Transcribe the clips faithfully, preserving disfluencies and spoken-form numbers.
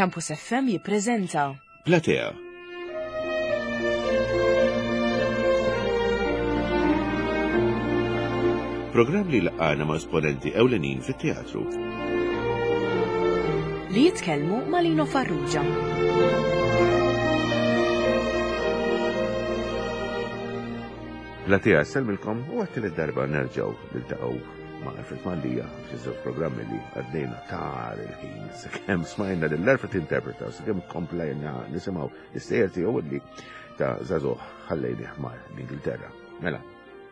Campus F M jippreżenta Platea. Programm li laqana ma' esponenti ewlenin fit-teatru. Li jitkellmu ma' Lino Farrugia. Platea ssellmilkom u għat-tielet darba nerġgħu niltaqgħu ma' Alfred Mallia f'żewġ programmi li għaddejna tar il-ħin sakemm smajna lil Alfred interpreta, sakemm komplejna nisimgħu l-istejjer tiegħu li ta' żagħżugħ ħallejni ħmar l-Ingilterra. Mela,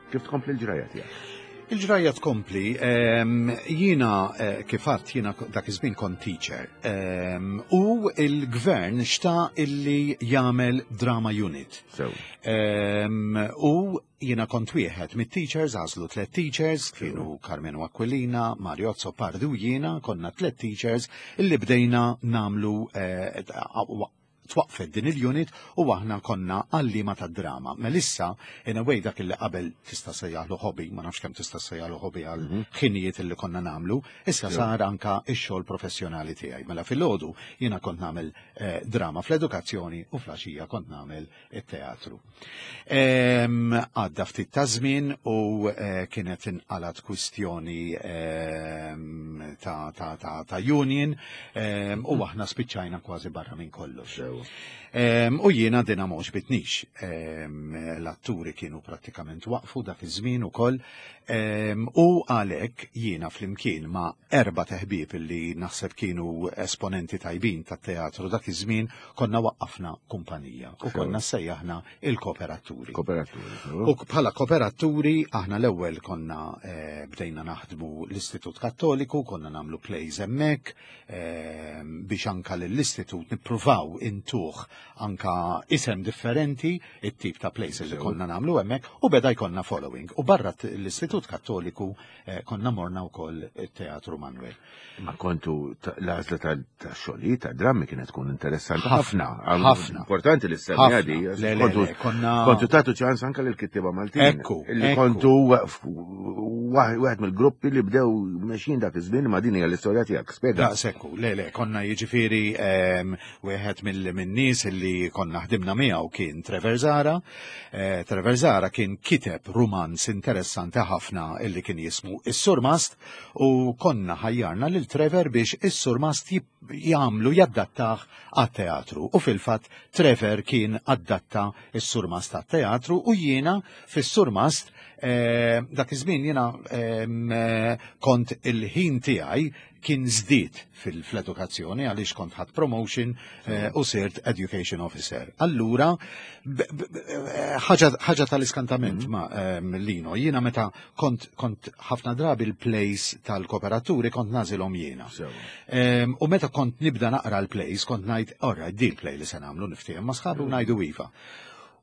kif tkompli l-ġrajja tiegħek? Il-ġrajja tkompli, ehm, jiena eh, kif għedt, jiena dak iż-żmien kont teacher ehm, u il-gvern xtaq illi jagħmel drama unit. Sew. Ehm, u jiena kont wieħed mit-teachers, għażlu tliet teachers, kienu Carmenu Aquilina, Mario Azzopardi u jiena, konna tliet teachers illi bdejna nagħmlu eh, twaqfet din il-unit u aħna konna għalliema ta' drama. Melissa, in a way, dak illi qabel tista' sejjaħlu hobby, ma nafx kemm tista' sejjaħlu hobby għal ħinijiet illi konna nagħmlu, issa sar anka ix-xogħol professjonali tiegħi. Mela filgħodu jiena kont nagħmel eh, drama fl-edukazzjoni u filgħaxija kont nagħmel it-teatru. Em, Għadda ftit ta' żmien u eh, kienet inqalat kwistjoni em, ta', ta, ta, ta' union em, u aħna spiċċajna kważi barra minn kollox. Sew. Em, U jiena dina ma għoġbitnix. Em, L-atturi kienu prattikament waqfu dak iż-żmien ukoll. Em, U għalhekk jiena flimkien ma' erba' ħbieb li naħseb kienu esponenti tajbin tat-teatru dak iż-żmien konna waqqafna kumpanija u konna sejjaħna il-kooperaturi. Kooperaturi. U bħala kooperaturi aħna l-ewwel konna eh, bdejna naħdmu l-Istitut Kattoliku, konna nagħmlu plays hemmhekk eh, biex anka lill-istitut nippruvaw intuh anka isem differenti it-tip ta' plays li Sew. konna nagħmlu hemmhekk u beda jkollna following. U barra t- l-Istitut Kattoliku eh, konna morna wkoll it-Teatru Manuel. Ma kontu ta- l-għażla ta' xogħlijiet ta' drammi kienet tkun interessanti Ħafna, ħafna. ħafna. Importanti li semmi Ħafna. għadi. Le, le, le, konna- Kontu tagħtu ċans anka lil kittieba Maltin. Ekku, Li ekku. kontu wieħed mill-gruppi li bdew mexjin dak iż-żmien, ma din hija l-istorja tiegħek. Spjega. Da, sekku, le, le, konna jiġifieri em, wieħed mill-nies li konna ħdimna miegħu kien Trevor Zara. Eh, Trevor Zara kien kiteb rumanz interessanti ħafna illi kien jismu Is-Surmast u konna ħajjarna lil Trevor biex Is-Surmast jib- jagħmlu jaddattah għat-teatru. U fil-fatt Trevor kien adatta Is-Surmast għat-teatru u jiena fis-Surmast eh, dak iż-żmien jiena em, eh, kont il-ħin tiegħi kien żdied fil-edukazzjoni għaliex kont ħadt promotion eh, u sirt education officer. Allura, b- b- eh, ħaġa ħaġa tal-iskantament ma em, Lino, jiena meta kont, kont ħafna drabi l-plays tal-kooperaturi kont nagħżilhom jiena. Sew. Em, U meta kont nibda naqra l-plays, kont ngħid, "Alright, di l-play li se nagħmlu," niftiehem ma' sħabi u ngħidu iva.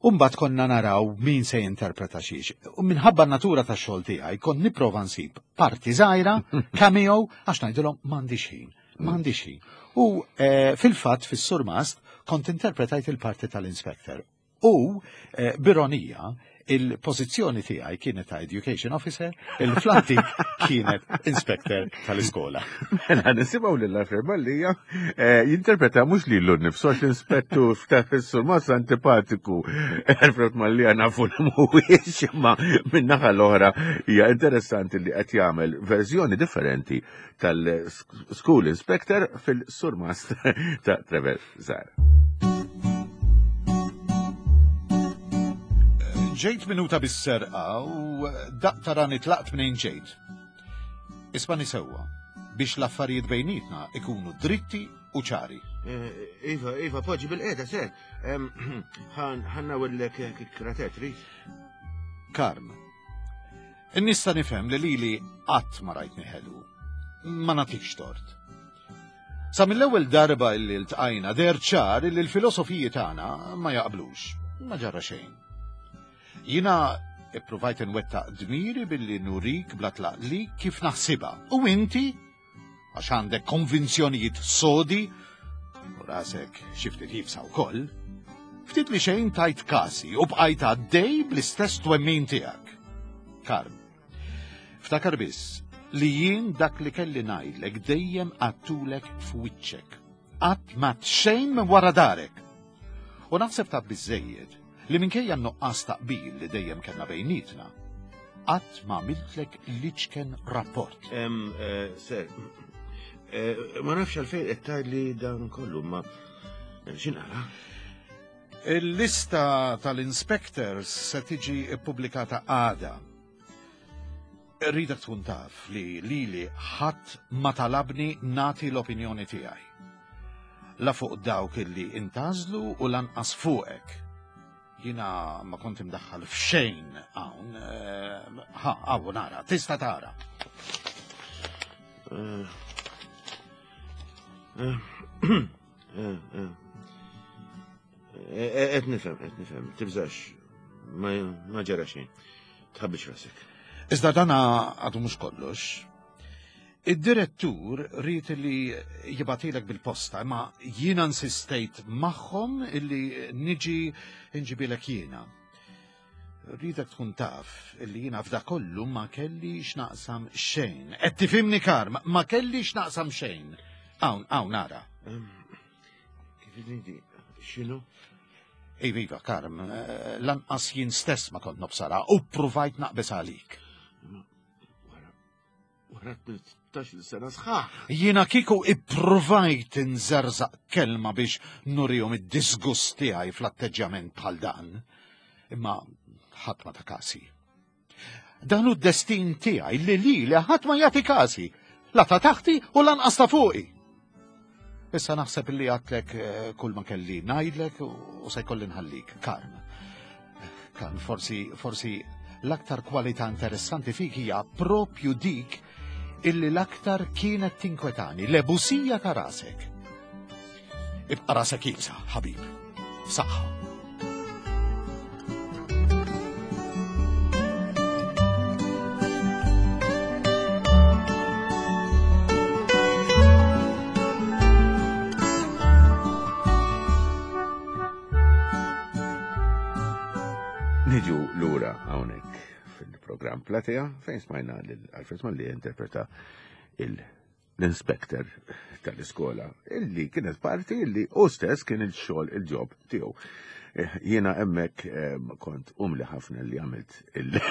Umbat konna naraw min se jinterpreta xiex. U minħabba n-natura ta' xogħol tiegħi kont nipprova nsib parti żgħira, cameo, għax ngħidilhom m'għandix ħin, m'għandix ħin. U eh, fil-fatt fis-Surmast kont interpretajt il-parti tal-inspector. U eh, b'ironija, il-pożizzjoni tiegħi kienet ta' education officer, il-flantik kienet inspector tal-iskola. Mela, nisimgħu lil Alfred Mallia eh, jinterpreta mhux lilu nnifsu għax l-inspettur ta' Surmast antipatiku. Alfred Mallia nafu li mhuwiex, imma min-naħa l-oħra hija interessanti li qed jagħmel verżjoni differenti tal-School Inspector fil-Surmast ta' Trevor Zara. Ġejt minuta bis-serqa u daqt tarani tlaqt minn ġejt. Ismagħni sewwa, biex l-affarijiet bejnietna ikunu dritti u ċari. Iva, Iva, poġġi bilqiegħda, sir. Ħa nnawwirlek kikkra trid. Karm, nista' nifhem li lili qatt ma rajtni ħelu. Ma nagħtikx tort. Sa mill-ewwel darba illi ltqajna deher ċar li l-filosofiji tagħna ma jaqblux. Ma ġara xejn. Jiena ippruvajt nwettaq dmiri billi nurik bla tlaqli kif naħsibha. U inti, għax għandek konvinzjonijiet sodi, u rasek xi ftit iebsa wkoll, ftit li xejn tajt kasi u bqajt għaddej bl-istess twemmin tiegħek. Karm, ftakar biss li jien dak li kelli ngħidlek dejjem għedtulek f'wiċċek. Qatt ma xejn minn wara darek. U naħseb ta' biżejjed li minkejja n-nuqqas ta' qbil li dejjem kellna bejnietna, qatt ma għamiltlek liċken rapport. Em, eh, Sir, eh, ma nafx għalfejn qed tgħidli dan kollu, ma x'inqala? Il-lista tal-inspectors se tiġi ippubblikata għada. Rridek tkun taf li lili ħadd ma talabni nati l-opinjoni tiegħi. La fuq dawk illi intażlu u lanqas fuqek. Jina ma kont imdaħħal f'xejn hawn, eh, ha, hawn nara, tista' tara. Eh, eh, eh, eh. Eh, Qed nifhem, qed nifhem, tibżax, ma ma ġara xejn. Tħabbix rasek. Iżda dana għadu mhux kollox. Id-direttur ried li jibgħathielek bil-posta, imma jiena insistejt magħhom illi niġi nġibilek jiena. Rridek tkun taf illi jiena f'da kollu ma kelli x'naqsam xejn. Qed tifhimni Karm, ma kelli x'naqsam xejn. Hawn, hawn nara. Em, Kif inti, x'inhu? Iva, iva, Karm, eh, lanqas jien stess ma kont nobsara u provajt naqbes għalik. Wara, wara tmintax-il sena sħaħ. Jiena kieku ippruvajt nżerżaq kelma biex nurihom id-disgust tiegħi fl-atteġġjament bħal dan. Imma ħadd ma ta kasi. Dan hu d-destin tiegħi li li li ħadd ma jagħti kasi. La ta' taħti u lanqas ta' fuqi. Issa naħseb li għedtlek eh, kull ma kelli ngħidlek u se jkolli nħallik. Karm. Karm, forsi, forsi l-aktar kwalità interessanti fik hija propju dik illi l-aktar kienet tinkwetani, l-ebusija ta' rasek. Ibqa' rasek iebsa, ħabib. Saħħa. Niġu lura hawnhekk fil-programm Platea fejn smajna lil Alfred Mallia interpreta il- l-inspector tal-iskola illi kienet parti illi u stess kien il-xogħol il-job tiegħu. Eh, Jiena hemmhekk eh, kont umli ħafna li għamilt il-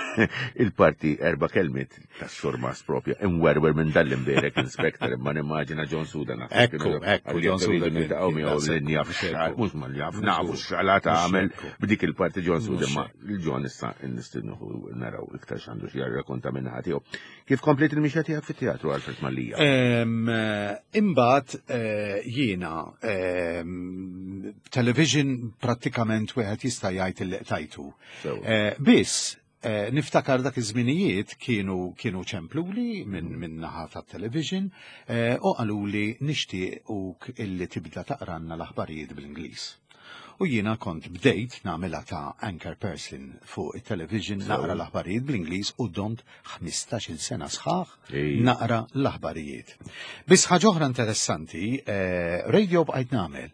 il-parti erba' kelmiet tas-surmas propja imwerwer minn dal-imberek inspector imma nimmaġina John Suda naħseb Ekku, kienu- ekku, għal John jekk Suda iridu kien- niltaqgħu kien miegħu daqshekk. li jaf x'għal- mhux ma li jaf Mhux nafu hekk. x'għala tagħmel Mhux hekk. b'dik il-parti John Suda Mhux ma il-John issa nistennuhu naraw iktar x'għandu xi jirrakkonta minn tiegħu. Kif komplet il-mixja tiegħek fit-teatru Alfred Mallia? Em, eh, Imbagħad eh, jiena em, television prattikament wieħed jista' jgħid illi qtajtu. Sewa. Eh, Biss eh, niftakar dak iż-żminijiet kienu kienu ċempluli minn min naħa tat-television eh, u qaluli nixtiequk illi tibda taqranna l-aħbarijiet bl-Ingliż. U jiena kont bdejt nagħmilha ta' anchor person fuq it-television naqra l-aħbarijiet bl-Ingliż u domt ħmistax-il sena sħaħ Ej. naqra l-aħbarijiet. Biss ħaġa oħra interessanti, eh, radio bqajt nagħmel.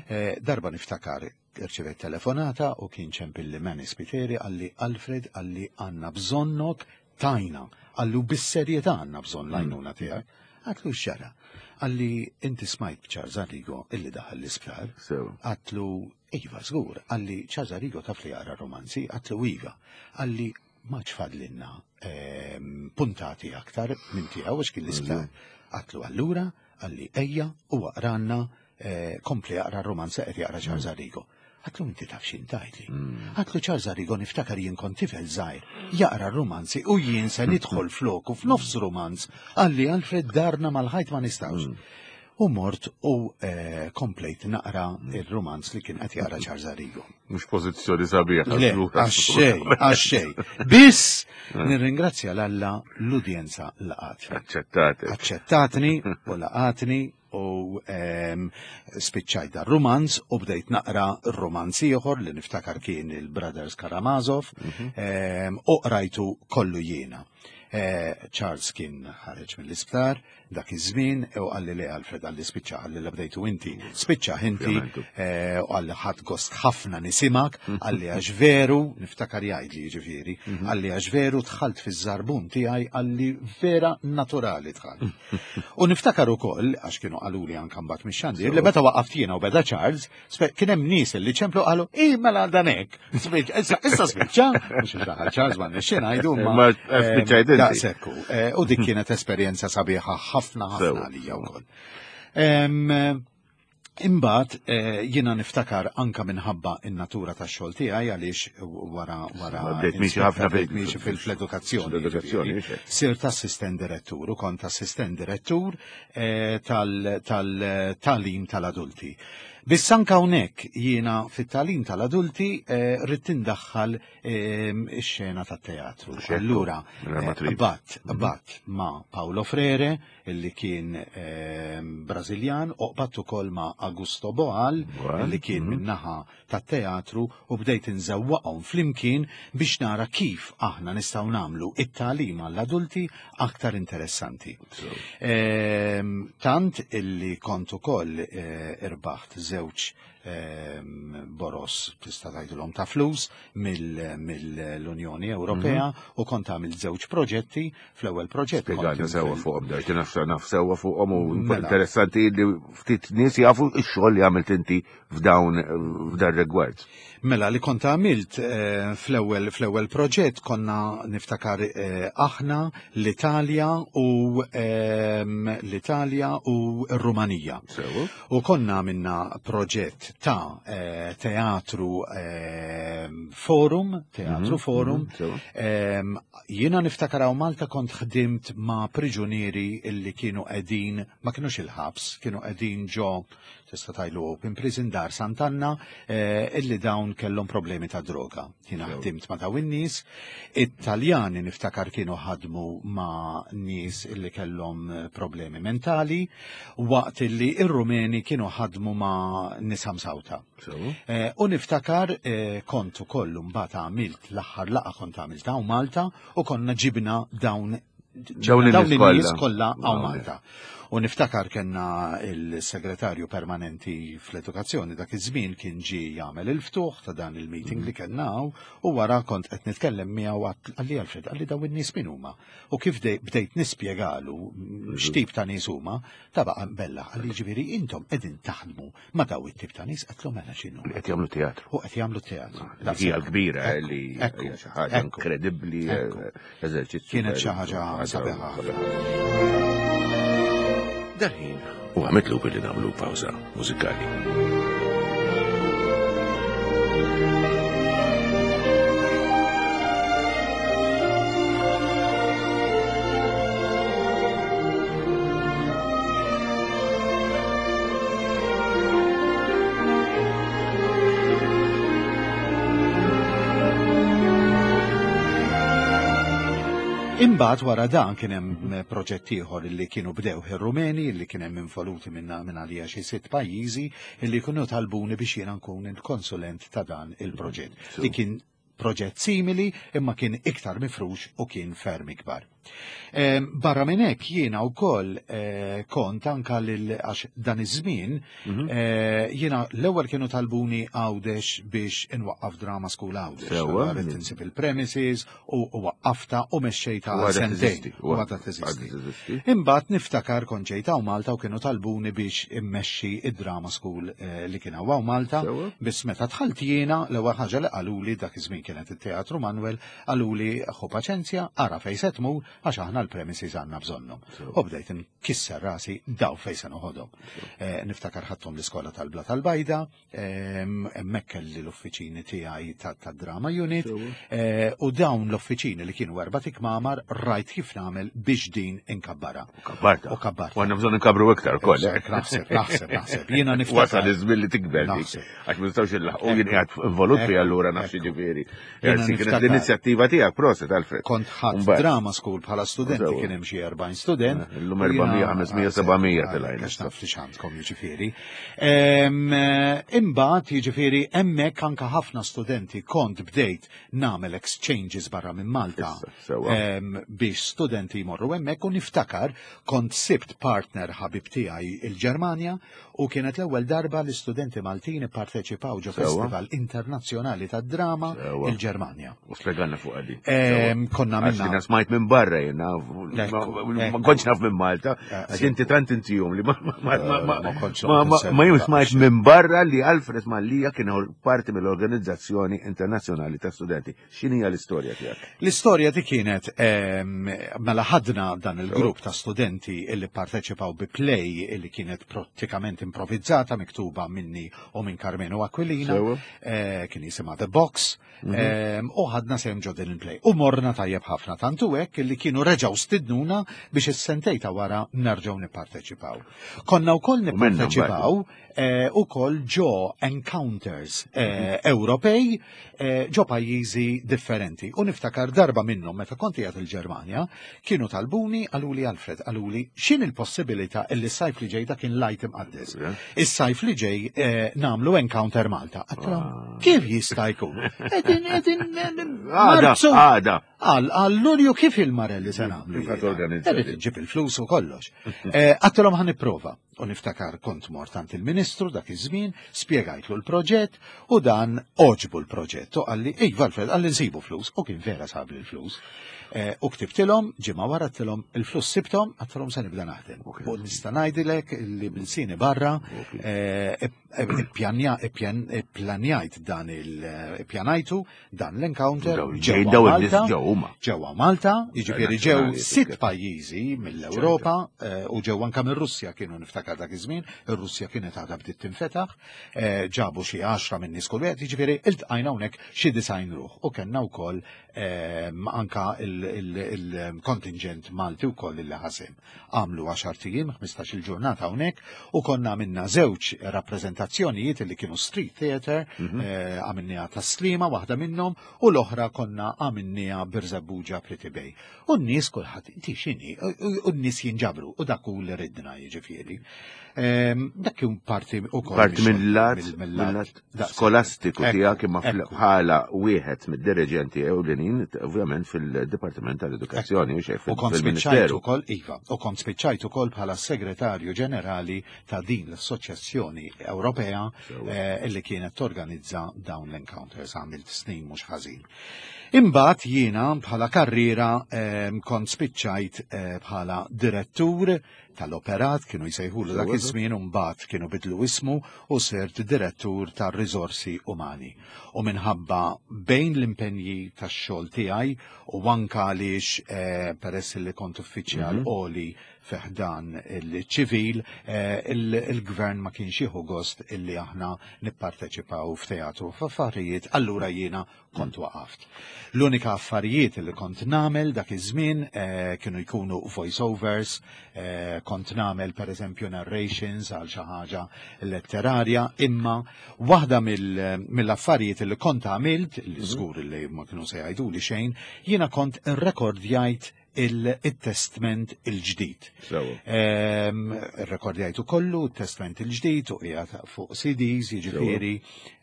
Eh, darba niftakar irċevejt telefonata u kien ċempilli Manny Spiteri qalli Alfred qalli għandna bżonnok tajna, qallu bis-serjetà għandna bżonn l-għajnuna tiegħek. Għedtlu x'ġara. Qalli inti smajt Charles Arrigo illi daħal l-isptar. Sewa. Għedtlu iva żgur, qalli Charles Arrigo taf li jaqra romanzi, għedtlu iva. Qalli ma fadlilna ehm, puntati aktar minn tiegħu għax kien l-isptar. Għedtlu allura, qalli ejja u aqranna eh, kompli jaqra romanza qed jaqra Charles Arrigo. Għedtlu inti taf x'int tgħidli. Għedtlu Charles Arrigo niftakar jien kont tifel żgħir, jaqra romanzi u jien se nidħol floku f'nofs romanz, qalli Alfred darna mal-ħajt ma nistgħux. U mort u eh, komplejt naqra il-romanz li kien qed jaqra Charles Arrigo. Mhux pożizzjoni sabiħa. Le, għax-xejn, għax-xejn. Biss nirringrazzja 'l Alla l-udjenza laqatni. Aċċettate. Aċċettatni u laqatni u ehm, spiċċajt dar romanz u bdejt naqra romanz ieħor li niftakar kien il-Brothers Karamazov ehm, u qrajtu kollu jiena. Eh, Charles kien ħareġ mill-isptar dak iż-żmien u qalli le Alfred qalli spiċċa qalli la bdejtu inti, spiċċa inti eh, u qalli ħadt gost ħafna nisimak, qalli għax veru, niftakar jgħidli jiġifieri, qalli għax veru dħalt fiż-żarbun tiegħi qalli vera naturali dħalt. U niftakar ukoll għax kienu qaluli anke mbagħad mix-xandir li meta waqaft jiena u beda Charles, kien hemm nies li ċemplu qalu i mela dan hekk. Issa issa spiċċa, mhux daħal Charles ma nixxi ngħidu ma daqshekk hu. U dik kienet esperjenza sabiħa ħafna ħafna għalija wkoll. Imbagħad jiena niftakar anka minħabba in-natura tax-xogħol tiegħi għaliex wara wara Bdejt miexi ħafna bdejt miexi fil-edukazzjoni. Sirt assistent direttur u kont assistent direttur tal-tagħlim tal-adulti. Biss anka hawnhekk jiena fit-tagħlim tal-adulti ridt indaħħal ix-xena tat-teatru. Allura qbadt qbadt ma' Paulo Freire illi kien Brażiljan u qbadt ukoll ma' Augusto Boal illi kien min-naħa tat-teatru u bdejt inżewwaqhom flimkien biex nara kif aħna nistgħu nagħmlu it-tagħlim għall-adulti aktar interessanti. Tant illi kont ukoll irbaħt żewġ boros tista' tgħidilhom ta' flus mill-Unjoni Ewropea u kont għamilt żewġ proġetti. Fl-ewwel proġett Spjegana sewwa fuqhom darti naf naf sewwa fuqhom u interessanti li ftit nies jafu x-xogħol li għamilt inti f'dawn f'dan rigward. Mela li kont għamilt fl-ewwel fl-ewwel proġett konna niftakar aħna l-Italja u l-Italja u r-Rumanija. U konna għamilna proġett ta' teatru forum, teatru forum. Jiena niftakar hawn Malta kont ħdimt ma' priġunieri illi kienu qegħdin, ma kinux il-ħabs, kienu qegħdin ġo tista' tgħidlu open prison dar Sant'Anna, illi dawn kellhom problemi ta' droga. Jiena ħdimt ma' dawn in-nies. It-Taljani niftakar kienu ħadmu ma' nies illi kellhom problemi mentali, waqt illi ir-Rumeni kienu ħadmu ma' nisa msawta. U niftakar kont ukoll mbagħad għamilt l-aħħar laqgħa kont għamilt hawn Malta u konna ġibna dawn dawn in-nies kollha hawn Malta. U niftakar kellna il-segretarju permanenti fl-edukazzjoni dak iż-żmien kien ġie jagħmel il-ftuħ ta' dan il-meeting li kellna hawn u wara kont qed nitkellem miegħu qalli Alfred, qalli dawn in-nies min huma. U kif bdejt nispjegalu x'tip ta' nies huma, ta' baqa' bella, qalli ġifieri intom qegħdin taħdmu ma' daw it-tip ta' nies, qedtlu mela x'inhu. Li qed jagħmlu teatru. U qed jagħmlu teatru. Dik hija l-kbira li hija xi ħaġa inkredibbli, eżerċizzju. Kienet xi ħaġa sabiħa. Dal-ħin u għamitlu billi nagħmlu pawża mużikali. Imbagħad wara dan kien hemm proġett ieħor li kienu bdew ir-Rumeni li kien hemm involuti minn minn għalija xi sitt pajjiżi li kienu talbuni biex jiena nkun il-konsulent ta' dan il-proġett. Li kien proġett simili imma kien iktar mifrux u kien ferm ikbar. Barra minn hekk jiena wkoll kont anka lil għax dan iż-żmien jiena l-ewwel kienu talbuni Għawdex biex inwaqqaf Drama School Għawdex. Ridt insib il-premises u waqqafta u mexxejta għal sentejn. U għadha teżisti. Imbagħad niftakar kont ġejt hawn Malta u kienu talbuni biex immexxi id-Drama School li kien hawn Malta. Biss meta dħalt jiena l-ewwel ħaġa li qaluli dak iż-żmien kienet it-Teatru Manuel, qaluli ħu paċenzja, ara fejn se tmur għax aħna l-premises għandna bżonnhom. U bdejt nkisser rasi daw fejn se noħodhom. Niftakar ħadthom l-iskola tal-Bla tal-Bajda, hemmhekk kelli l-uffiċini tiegħi tad-Drama Unit, u dawn l-uffiċini li kienu erba' tikmamar rajt kif nagħmel biex din inkabbara. U kabbarta. U kabbarta. U għandna bżonn inkabru iktar ukoll. Naħseb, naħseb, naħseb. Jiena niftakar. Wasal iż-żmien li tikber dik. Għax ma nistgħux inlaħqu jien qiegħed involut fiha allura nafx jiġifieri. Kienet l-inizjattiva tiegħek, proset Alfred. Kont ħadd Drama School bħala studenti Sewa. kien hemm xi erbgħin student. Eh, illum erba' mija, ħames mija, seba' mija telgħin. Għax naf li x'għandkom jiġifieri. Em, eh, Imbagħad jiġifieri hemmhekk anke ħafna studenti kont bdejt nagħmel exchanges barra minn Malta. Issa, sewa. em, biex studenti jmorru hemmhekk u niftakar kont sibt partner ħabib tiegħi il-Ġermanja u kienet l-ewwel darba li studenti Maltin ipparteċipaw ġo Sewa. Festival Internazzjonali tad-Drama Sewa. il-Ġermanja. U spjegalna fuq għadi. Em, Konna Għax minna jiena smajt minn barra jiena, Ekku, ma ekku. kontx naf minn Malta, Eh, għax inti tant intihom li ma ma ma ma Eh, ma kontx ma ma noqgħod ma jien insemmi smajt minn barra li Alfred Mallia kien parti mill-Organizzazzjoni Internazzjonali ta' Studenti. X'inhija l-istorja tiegħek? L-istorja di kienet em, mela ħadna dan il-grupp ta' studenti illi parteċipaw bi play illi kienet prattikament improvvizzata, miktuba minni u minn Carmelo Aquilina, Sewa. eh, kien jisimha The Box, em, u ħadna sehem ġo din il-play. U morna tajjeb ħafna tantu hekk illi kienu reġgħu stidnuna biex is-sentejn ta' wara nerġgħu nipparteċipaw. Konna wkoll U minnhom nipparteċipaw eh, ukoll ġo encounters eh, Ewropej eh, ġo pajjiżi differenti. U niftakar darba minnhom meta kont qiegħed il-Ġermanja, kienu talbuni qaluli Alfred, qaluli x'in il-possibilità illi s-sajf li ġej, dak kien l-Għid Imqaddes. Yeah. Is-sajf li ġej eh, nagħmlu encounter Malta. Għedtilhom, Ah. kif jista' jkun? Qegħdin, qegħdin, Għada, Marzu. għada. Għal, għal Lulju kif il-marelli se nagħmlu? Kif ħa torganizza Irrid din? iġġib il-flus u kollox. Eh, Għedtilhom ħa nipprova. U niftakar kont mort għand il-Ministru dak iż-żmien, spjegajtlu l-proġett u dan għoġbu l-proġett. U qalli, ej, Alfred, qalli nsibu flus. U kien vera sab l-flus. Eh, U ktibtilhom, ġimgħa wara għedtilhom il-flus sibthom, għedtilhom se nibda naħdem. Ok. U nista' ngħidilek li b'ilsieni barra Ok. eh, ippjanja- ippjan- ipplanjajt dan il ippjanajtu dan l-encounter Daw- ġej ġewwa daw in-nies Malta. ġew huma. Ġewwa Malta, jiġifieri ġew Nazzjonali, sitt kif. pajjiżi mill-Ewropa eh, u ġew anke mir-Russja kienu niftakar dak iż-żmien, ir-Russja kienet għadha bdiet tinfetaħ, eh, ġabu xi għaxra minn nies kull wieħed, jiġifieri iltqajna hawnhekk xi disgħin ruħ u kellna wkoll eh, anka il-kontingent Malti wkoll illi ħasem. Għamlu għaxart ijiem, ħmistax il-ġurnata hawnhekk u konna għamilna żewġ rappreżentazzjonijiet li kienu street theater, eh, għamilniha ta' Sliema waħda minnhom u l-oħra konna għamilniha Birżebbuġa Pretty Bay. U n-nies kulħadd inti x'inhi, u u n-nies jinġabru u dak hu li ridna jiġifieri. Ehm, Dak kien parti ukoll Parti mix-xogħol, mill-lat mill- mill-lat daqs- skolastiku Ekku, tiegħek imma ekku. bħala wieħed mid-dirigenti ewlenin ovvjament fil-Dipartiment tal-Edukazzjoni u xejn U kont spiċċajt fil-Ministeru. ukoll, iva, u kont spiċċajt ukoll bħala segretarju ġenerali ta' din l-Assoċjazzjoni Ewropea Sewa. eh, illi kienet torganizza dawn l-encounters, għamilt snin mhux ħażin. Imbagħad jiena bħala karriera eh, kont spiċċajt eh, bħala direttur tal-operat, kienu jsejħulu dak Sewa. iż-żmien, u mbagħad kienu bidlu ismu u sirt direttur tar-riżorsi umani. U minħabba bejn l-impenji tax-xogħol tiegħi u anka għaliex eh, peress li kont uffiċjal għoli fi ħdan il-ċivil, eh, il- il-gvern ma kienx jieħu gost illi aħna nipparteċipaw f'teatru f'affarijiet, allura jiena kont waqaft. L-unika affarijiet li kont nagħmel dak iż-żmien eh, kienu jkunu voice-overs, eh, kont nagħmel per eżempju narrations għal xi ħaġa letterarja, imma waħda mill- mill-affarijiet li kont għamilt, li żgur li ma kienu se jgħiduli xejn, jiena kont irrekordjajt il-testament il-ġdid. Sewa. Ehm, Rekordjajtu kollu, testament il-ġdid u qiegħed fuq C Ds, jiġifieri,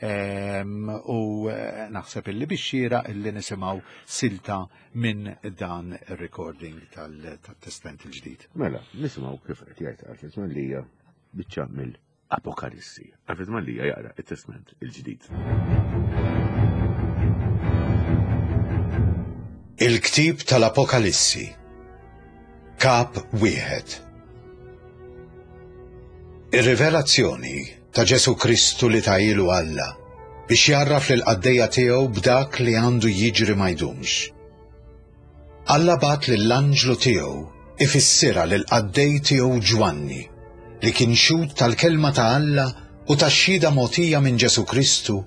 ehm, u eh, naħseb illi bixxira illi nisimgħu silta minn dan il-recording tal-testament il-ġdid. Mela, nisimgħu kif qed jgħid Alfred Mallia biċċa mill-Apokalissi. Alfred Mallia jaqra it-Testament il-ġdid. Il-ktib tal-Apokalissi. Kap wieħed. Ir-rivelazzjoni ta' Ġesu Kristu li tahielu Alla biex jgħarraf lil qaddejja tiegħu b'dak li għandu jiġri ma jdumx. Alla bagħat lill-anġlu tiegħu ifissirha lil qaddej tiegħu Ġwanni li kien xhud tal-kelma ta' Alla u tax-xhieda mogħtija minn Ġesu Kristu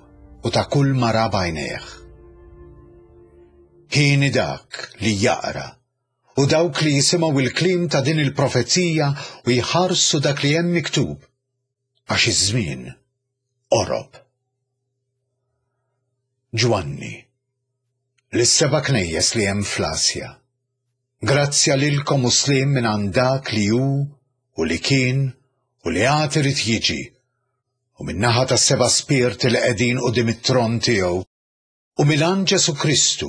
u ta' kull ma ra b'għajnejh. Hieni dak li jaqra u dawk li jisimgħu il-kliem ta' din il-profezija u jħarsu dak li hemm miktub, għax iż-żmien qorob. Ġwanni, lis-seba' knejjes li hemm fl-Asja, Grazzja lilkom u sliem minn għand dak li hu u li kien u li għad irid jiġi, u min-naħa tas-seba' spirti li qegħdin quddiem it-tron tiegħu, u minn Ġesù Kristu,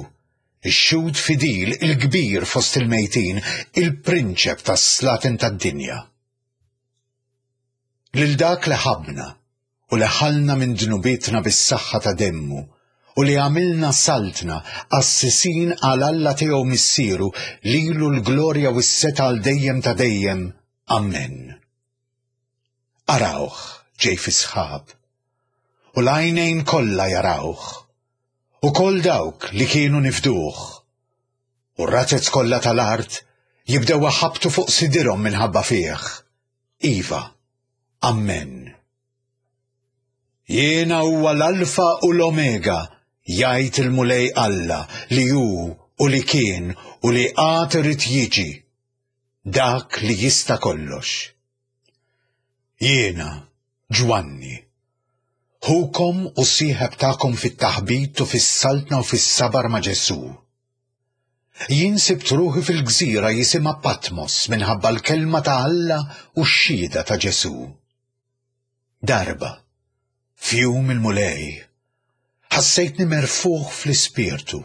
ix-xhud fidil il-kbir fost il-mejtin, il-prinċep tas-slaten tad-dinja. Lil dak li ħabbna u li ħallna minn dnubietna bis-saħħa ta' demmu, u li għamilna saltna qassisin għal Alla tiegħu missieru, lilu l-glorja u s-setgħa għal dejjem ta' dejjem. Amen. Arawh ġej fi sħab, u l-għajnejn kollha jarawh, u koll dawk li kienu nifduh, u r-razez kollha tal-art jibdew iħabbtu fuq sidirhom minħabba fih. Iva, Amen. Jiena huwa l-Alfa u l-Omega, jgħid il-Mulej Alla, li hu u li kien u li għad irid jiġi, dak li jista' kollox. Jiena, Ġwanni, ħukom u sieħeb tagħkom fit-taħbit u fis-saltna u fis-sabar ma' Ġesù. Jien sibt ruħi fil-gżira jisimha Patmos minħabba l-kelma ta' Alla u x-xhieda ta' Ġesù. Darba, f'jum il-Mulej, ħassejtni merfuħ fl-ispirtu,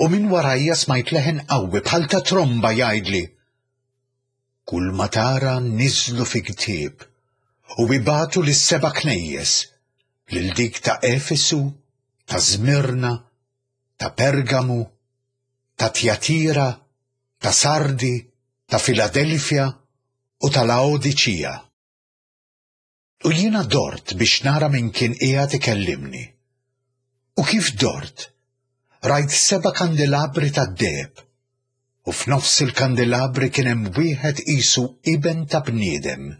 u minn warajja smajt leħen qawwi bħal ta' tromba jgħidli: Kull ma tara niżlu fi ktieb u ibagħtu lis-seba' knejjes, lil dik ta' Efesu, ta' Żmirna, ta' Pergamu, ta' Tjatira, ta' Sardi, ta' Filadelfja u ta' Laodiċija. U jiena dort biex nara min kien qiegħed ikellimni. U kif dort, rajt seba' kandelabri tad-deheb, u f'nofs il-kandelabri kien hemm wieħed qisu iben ta' bniedem,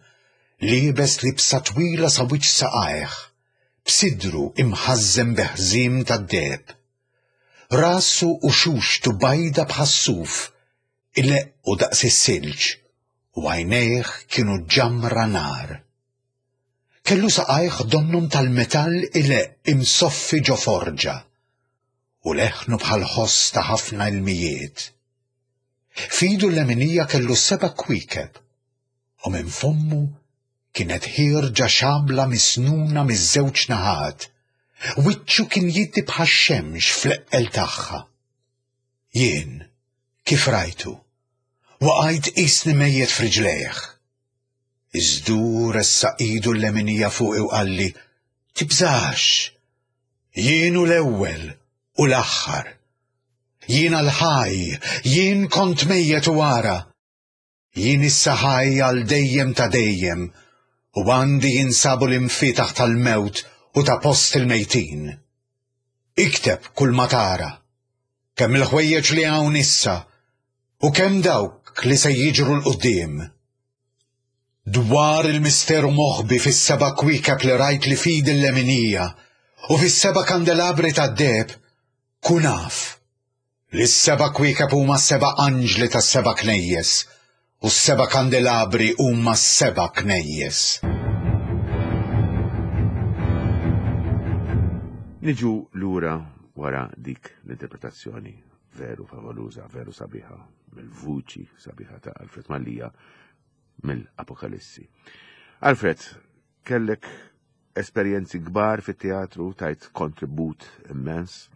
liebes libsa twila sa wiċċ saqajh, b'sidru imħażżem bi ħżiem tad-deheb. Rasu u xuxtu bajda bħas-suf, ileqqu daqs is-silġ, u għajnejh kienu ġamra nar. Kellu saqajh donnhom tal-metall ileqq imsoffi ġo forġa, u leħnu bħal ħoss ta' ħafna ilmijiet. F'idu l-leminija kellu seba' kwiekeb, u minn fommu kienet ħierġa xabla misnuna miż-żewġ naħat. Wiċċu kien jiddi bħax-xemx fl-eqqel tagħha. Jien, kif rajtu, waqajt qisni mejjet f'riġlejh. Iżda hu ressaq idu l-leminija fuqi u qalli: Tibżax, jien hu l-ewwel u l-aħħar. Jiena l-ħaj, jien kont mejjet u ara. Jien issa ħaj għal dejjem ta' dejjem, u għandi jinsabu l-imfietaħ tal-mewt u ta' post il-mejtin. Ikteb kull ma tara, kemm il-ħwejjeġ li hawn issa, u kemm dawk li se jiġru 'l quddiem. Dwar il-misteru moħbi fis-seba' kwiekeb li rajt li f'idi l-leminija u fis-seba' kandelabri tad-deheb, kun af li s-seba' kwiekeb huma seba' anġli tas-seba' knejjes u s-seba' kandelabri huma seba' knejjes. Niġu lura wara dik l-interpretazzjoni veru favoluża, veru sabiħa, mill-vuċi sabiħa ta' Alfred Mallia mill-Apokalissi. Alfred, kellek esperjenzi kbar fit-teatru, tajt kontribut immens.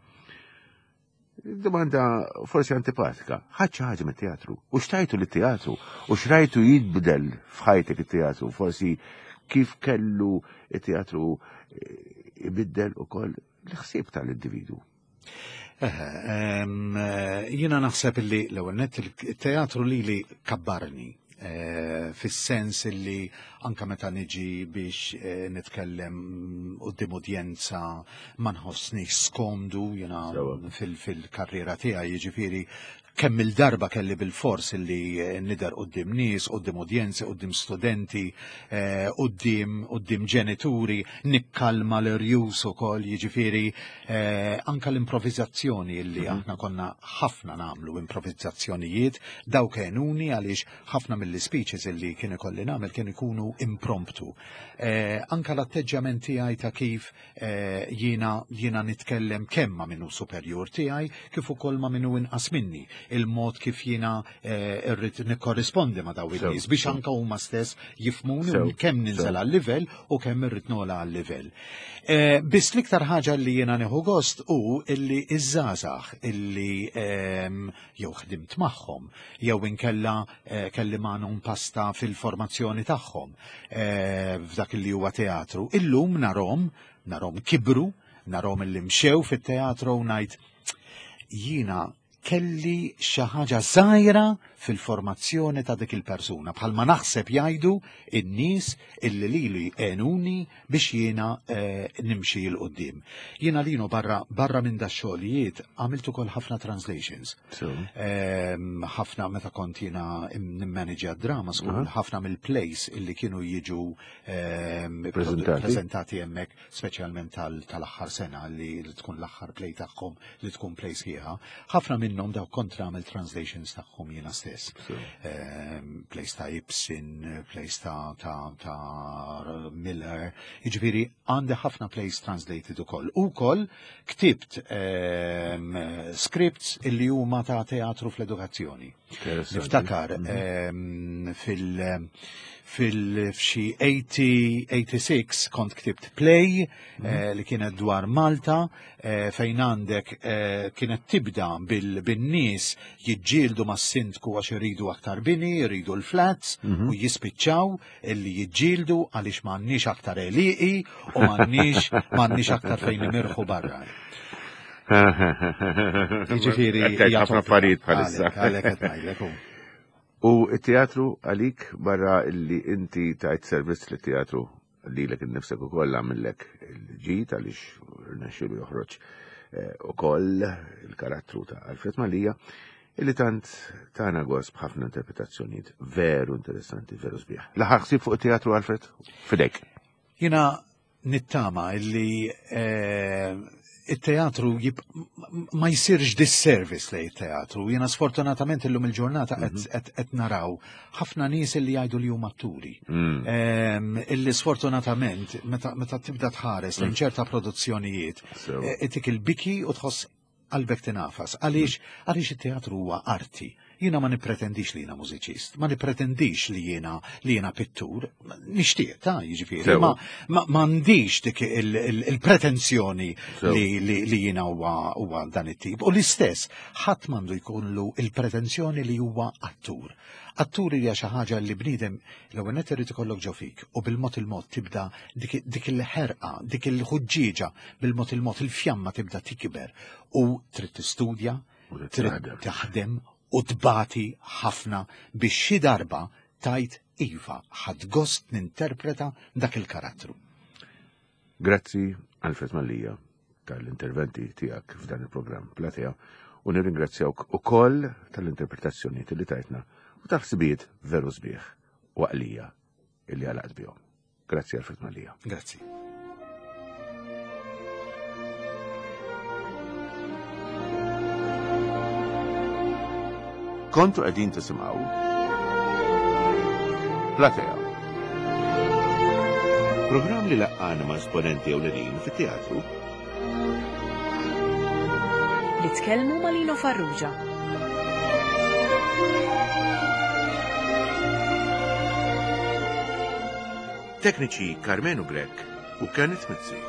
Domanda forsi antipatika, ħadt xi ħaġa mit-teatru, u x'tajtu lit-teatru, u x'rajtu jitbidel f'ħajtek it-teatru, forsi kif kellu it-teatru ibiddel ukoll l-ħsieb tal-individu. Jiena naħseb illi l-ewwel nett il-teatru lili kabbarni, fis-sens illi anka meta niġi biex nitkellem quddiem udjenza ma nħossnix skomdu jiena fil-karriera tiegħi, jiġifieri kemm il-darba kelli bil-fors illi nidher quddiem nies, quddiem udjenzi, quddiem studenti, quddiem quddiem ġenituri, nikkalma l-irjus ukoll, jiġifieri anka l-improvizzazzjoni illi aħna konna ħafna nagħmlu improvizzazzjonijiet, dawk għenuni għaliex ħafna mill-speeches illi kien ikolli nagħmel kien ikunu impromptu. Anka l-atteġġjament tiegħi ta' kif jiena jiena nitkellem kemm ma' min hu superjur tiegħi kif ukoll ma' min hu inqas minni. il-mod kif jiena eh, irrid nikkorrispondi ma' daw in-nies biex anka huma stess jifhmuni Sew, kemm ninżel sew. għal-livell u kemm irrid nogħla għal-livell. Eh, Biss l-iktar ħaġa li jiena nieħu gost hu illi iż-żgħażagħ illi ehm, jew ħdimt magħhom jew inkella eh, kelli magħhom pasta fil-formazzjoni tagħhom eh, f'dak li huwa teatru. Illum narahom, narahom kibru, narahom illi mxew fit-teatru u ngħid jiena kelli xi ħaġa żgħira fil-formazzjoni ta' dik il-persuna bħalma naħseb jgħidu in-nies illi lili għenuni biex jiena eh, nimxi 'l quddiem. Jiena Lino barra barra minn da xogħlijiet għamilt ukoll ħafna translations. So, Ehm, ħafna meta kont jiena nimmanagja drama school, ħafna mill-plays illi kienu jiġu ehm, Preżentati. preżentati hemmhekk, speċjalment tal- tal-aħħar sena li li tkun l-aħħar play tagħhom li tkun play sħiħa. Ħafna minnhom daw kont nagħmel translations tagħhom jiena stess. so. Ehm, plays ta' Ibsen, plays ta' ta' ta' Miller, jiġifieri għandi ħafna plays translated ukoll. Ukoll ktibt ehm, scripts illi huma ta' teatru fl-edukazzjoni. Interessanti. Niftakar ehm, fil- fil f'xi eighty, eighty-six kont ktibt play eh, li kienet dwar Malta eh, fejn għandek eh, kienet tibda bil- bin-nies jiġġieldu mas-sindku għax iridu aktar bini, iridu l-flats u jispiċċaw illi jiġġieldu għaliex m'għandniex aktar għelieqi u m'għandniex m'għandniex aktar fejn nimirħu barra. Jiġifieri Qed tgħid hija ħafna topika. affarijiet bħalissa. Għalhekk, għalhekk qed ngħidlek hu. U t-teatru għalik, barra illi inti tajt servizz li teatru lilek innifsek ukoll għamillek il-ġid għaliex rnexxielu joħroġ eh, ukoll il-karattru ta' Alfred Mallia illi tant tana gost b'ħafna interpretazzjonijiet veru interessanti, veru sbieħ. L-aħħar ħsieb fuq it-teatru, Alfred, fidejk. Jiena nittama illi eh, il-teatru jib, ma jsirx disservice lej il-teatru. Jiena sfortunatament illum il-ġurnata qed qed- qed naraw ħafna nies illi jgħidu li huma atturi. Mm. Em, illi sfortunatament meta meta tibda tħares lejn ċerta produzzjonijiet So. eh, itik il-biki u tħoss qalbek tinafas. Għaliex għaliex it-teatru huwa arti. Jiena ma nipretendix li jiena mużiċist, ma nipretendix li jiena li jiena pittur, nixtieq ta' jiġifieri, Sewa. ma ma m'għandix dik il- il- il-pretenzjoni Sewa. li, li, li jiena huwa huwa dan it-tip. U l-istess, ħadd m'għandu jkollu il-pretenzjoni li huwa attur. Attur hija xi ħaġa li bniedem l-ewwel nett irid ikollok ġo fik u bil-mod il-mod tibda dik, dik il-ħerqa, dik il-ħuġġieġa, bil-mod il-mod il-fjamma tibda tikber u trid tistudja, U trid trid taħdem. taħdem u tbati ħafna biex xi darba tgħid iva ħadt gost ninterpreta dak il-karattru. Grazzi, Alfred Mallia, tal-interventi tiegħek f'dan il-programm Platea u nirringrazzjawk ukoll tal-interpretazzjoni li tajtna u tal-ħsibijiet veru sbieħ u għaqlija illi għalaqt bihom. Grazzi, Alfred Mallia. Grazzi. Kontu qegħdin tisimgħu Platea. Programm li laqqana ma' esponenti ewlenin fit-teatru. Li tkellmu ma' Lino Farrugia. Tekniċi Carmenu Grek u Kenneth Mizzi.